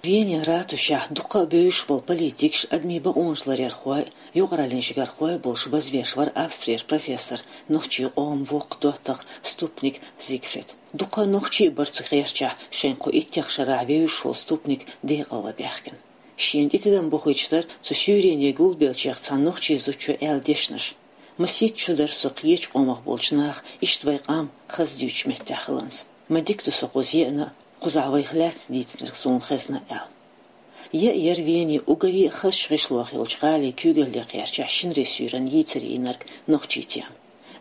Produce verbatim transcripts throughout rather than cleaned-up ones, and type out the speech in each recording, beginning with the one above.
Венин ратушехь дукха а бевзаш болу политикаш, адамийн бакъонаш ларъярхой, юкъараллин жигархой болуш базвеш вара Австрера профессор, нохчийн къоман воккха доттагӀа Ступник Зигфрид. Дукха нохчий а бара цу гӀертачохь, шайн кху иттех шарахь вевзаш волу Ступник декъалван баьхкина. Шена тӀе тидам бохуьйтуш дара цу суьйрене гулбеллачех цхьана нохчийн зудчо аьлла дешнаш. Масийтта шу дара со кхечу къомах болчу наха иштта вайн къам хаза дуьйцучу меттехь хиларца. Ма дика ду со кхуза еана а, кхузахь вайх лаьцна дийцинарг суна хезна аьлла. Яа яра Вени уггаре а хазачу гӀишлойх йолчу гӀалин куьйгалле кхерчахь шинарин суьйранна йийцаре йинарг нохчийн тема.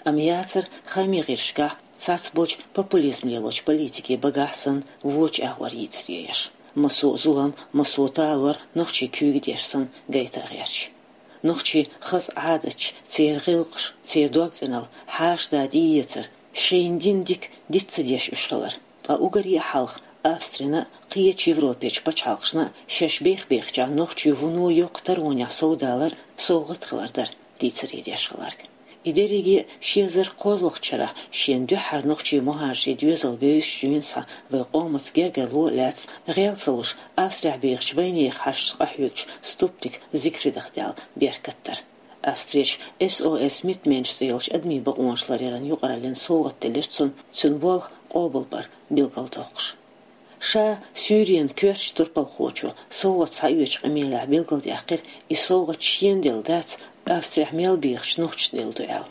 Амма яцара хаамийн гӀирсашкахь цхьацца болчу популизм лелочу политикийн багахь санна вочу агӀор йийцаре еш. Массо а зулам, массо а талор нохчийн куьйган деш санна гайта а гӀерташ. Нохчийн хаза Ӏадаташ, церан гӀиллакхаш, церан дог-цӀеналла, хьаша-да тӀеэцар, шайна дина дика диц ца деш уьш хилар. Ткъа уггаре а хьалха Австрина а, кхечу Европерчу пачхьалкхашна а шаьш бех-бехачохь нохчийн вуно йоккха таронехь совдалар совгӀат хилар дара дийцаре деш хилларг. И дерриге а ши эзар кхозлагӀчу шарахь шена дуьххьара нохчийн мухӀажарийн доьзал бевзаш дуьйна схьа вайн къомаца гергарло а лаьцна, гӀел ца луш, Австрехь бехачу вайнехан хьашташца къахьоьгучу Ступник Зигфридах даьлла беркат дара. Австрерчу S O S Mitmensch цӀе йолчу адамийн бакъонаш ларъяран юкъараллина совгӀат делира цунна, цуьнан болх къобалбар билгалдоккхуш. Ша суьйренан коьртачу турпалхочо совгӀат схьаоьцучу къамелехь билгалдаьккхира, и совгӀат шена делла дац, Австрехь мел бехачу нохчашна делла ду аьлла.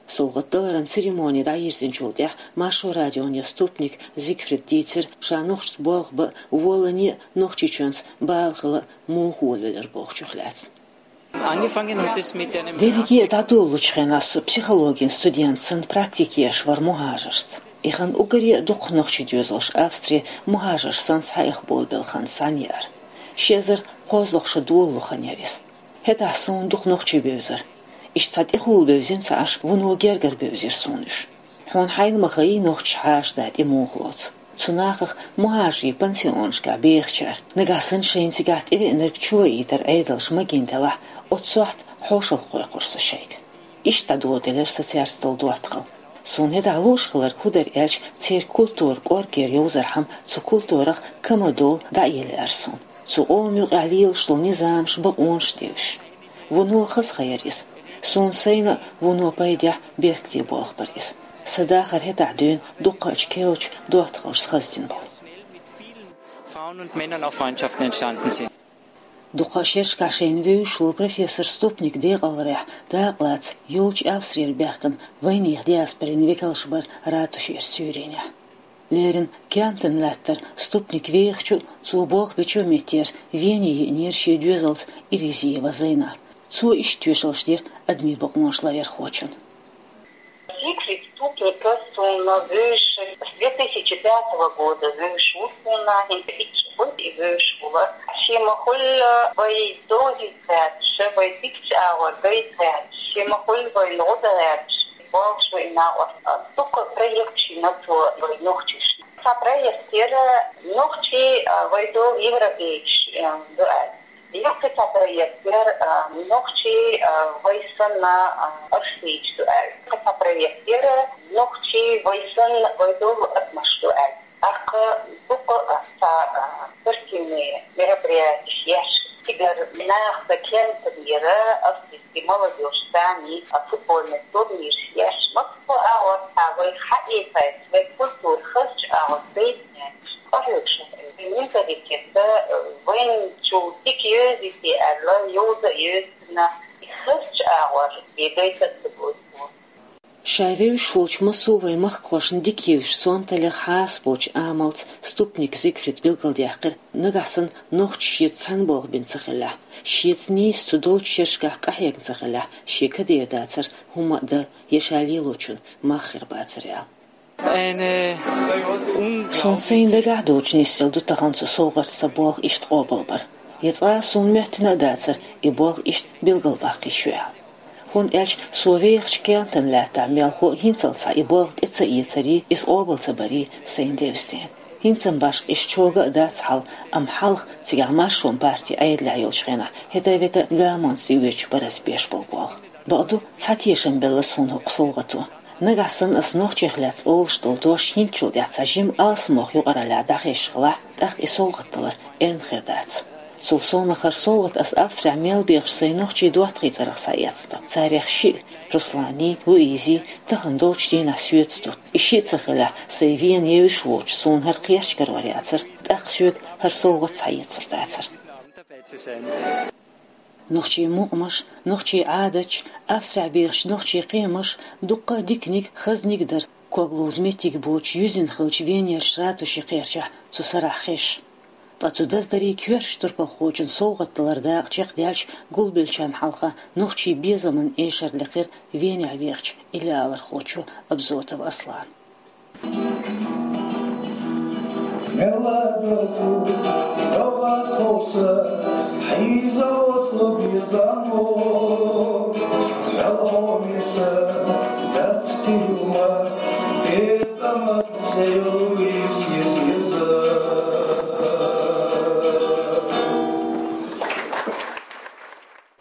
СовгӀат даларан церемони дӀайирзинчул тӀаьхьа Маршо радиона Ступник Зигфрид дийцира, ша нохчашца болх бан а, волане а, Нохчийчоьнца бала хила а муха волавелира бохучух лаьцна. Angefangen hat es mit einem Дерриге а дӀадолалучу хенахь со психологин студент санна практике еш вара мухӀажаршца. И хан уггаре а дукха нохчийн доьзалш Австре мухӀажарш санна схьаэха болабелла хан санна яра. Ши эзар кхозлагӀа шо долалу хан яра иза. ХӀетахь суна дукха нохчий бевзара. Иштта цхьа тӀехула бевзина ца Ӏаш, вуно гергара бевзира суна уьш. Хьуна хьайна ма хаьий нохчаша хьаша-да тӀе муха лоцу. Цу нахах мухӀажарийн пансионашкахь бехачара, нагахь санна шайна цигахь тӀевеанарг чуваийтар Ӏедалша магийна делахь, оццу сохьта хьошалгӀа кхойкхура со шайга. Иштта дӀадоладелира сан цаьрца долу доттагӀалла. Суна хӀетахь лууш хилларг хӀун дара аьлча, церан культура кӀоргера йовзархьама, цу культурах камадолу дӀаэлла аьлла суна. Цу къоман юкъахь лелаш долу низамаш, бакъонаш девзаш. Вуно хаза хан яра иза. Суна сайна а вуно пайдехь, беркате болх бара иза. Сан дахар хӀетахь дуьйна дуккхачу керлачу доттагӀаллашца хаза дина болу. Frauen und Männern auch Freundschaften entstanden sind. Дукха шерашкахь шайна вевзаш волу профессор Ступник декъалварехь дакъалаца йолчу Австрера баьхкина вайнехан диаспорин векалш бара ратушера суьйренехь. Леррина Кемпен лаьттара Ступник вехачу а, цо болх бечу а меттера Вене йиънера шен доьзалца Иризиева Зайнап. Цо иштта тоьшаллаш дира адамийн бакъонаш ларъярхочун. Зигфрид Ступника суна вевзаш, с две тысячи пятого года вевзаш ву суна, хӀинца итт шо хуьлу и вевзаш волу. Шен ма-хуьллу вай довзийта гӀерташ, вай дикачу агӀор гайта гӀерташ, шен ма-хуьллу вайна гӀо дан гӀерташ, болх бина и накъост. Дукха проекташ йина цо вай нохчашна. Цхьа проект яра нохчий, а, вай долу европейцаш, а, ду аьлла. Юха цхьа проект яра, а, нохчий, а, вай санна, а, австрийцаш ду аьлла. Цхьа проект яра нохчий вай санна, вай долу адамаш ду аьлла. ТӀаккха дукха, а, цхьа, а, спортивный мероприятеш еш, цигара нахаца Кемпен яра, австрийский молодёжь санна, а, футбольный турнираш еш. Массо а агӀор цхьа вай хьаэцайта, вай культура хазачу агӀор гайтинехь. Къахьоьгуш, менталитет, вайна чу дика йовзийта аьлла, йовза а йовзина, и хазачу агӀор бегайта а ца гойту. Ша вевзаш волчу массо а вайн махкахошна дика евзаш, сонталлех хьаса боцчу амалца Ступник Зигфрида билгалдаьккхира, нагахь санна нохчаша шеца цхьаьна болх бина ца хиллехь, шеца нийса цу долчу шерашкахь къахьегна ца хиллехь, шен кадера дацара хӀума а дан, я ша лелочун мах хир бацара аьлла. Суна сайна дагахь доцуш нисъелла ду тахана цу совгӀатца сан болх иштта къобалбар. Я цкъа а суна моьттина а дацара и болх иштта билгалбаккхийта шу аьлла. ХӀунда аьлча со вехачу Кемпен лаьттахь мелхо а хӀинццалц схьа и болх тӀе ца эцарий, иза къобал ца барий сайна девза дела. ХӀинца-м башха иштта чӀогӀа а дац хьал, амма хьалха цигахь Маршонан партин Ӏедалехь йолчу хенахь хӀета-вета гамонца тӀеоьцуш бара аса беш болу болх. Бакъду, цхьа тешам белла суна хӀокху совгӀато. Нагахь санна ас нохчех лаьцна олуш долу дош хӀинцачул тӀаьхьа цхьа жима алсамох юкъараллехь дӀахезаш хилахь, тӀаккха и совгӀат далар эрна хир дац. Цул совнаха хӀара совгӀат ас Австрехь мел бехаш сайн нохчийн доттагӀийн цӀарах схьаэцна ду. Царех шиъ, Руслани, Луизи, тахана долчу дийнахь соьца ду. И шиъ ца хилахь, сайн Вена евзаш воцуш, суна хӀара кхерч карор яцара, тӀаккха соьга хӀара совгӀат схьаэцур дацара. Нохчийн мукъамаш, нохчийн Ӏадаташ, Австрехь бехачу нохчийн кхиамаш, дуккха а диканиг, хазниг дара, ког ловза меттиг боцуш юьззина хиллачу Венерчу ратушин кхерчахь цу сарахь хезаш. Ткъа цу даздарийн коьртачу турпалхочун совгӀат далар дакъа чекхдаьлча, гулбеллачарна хьалха нохчийн безаман эшар лекхира Венехь вехачу илалархочо Абзотов Аслана. Мелла доху, догӀа тховса, хьийза оцу безамо, хьалхо миса, дац тилма, бетамат цӀе йолу иза, иза.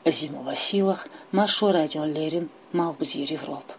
Азима Василах, Маршо радиона леррина, Малхбузера Европа.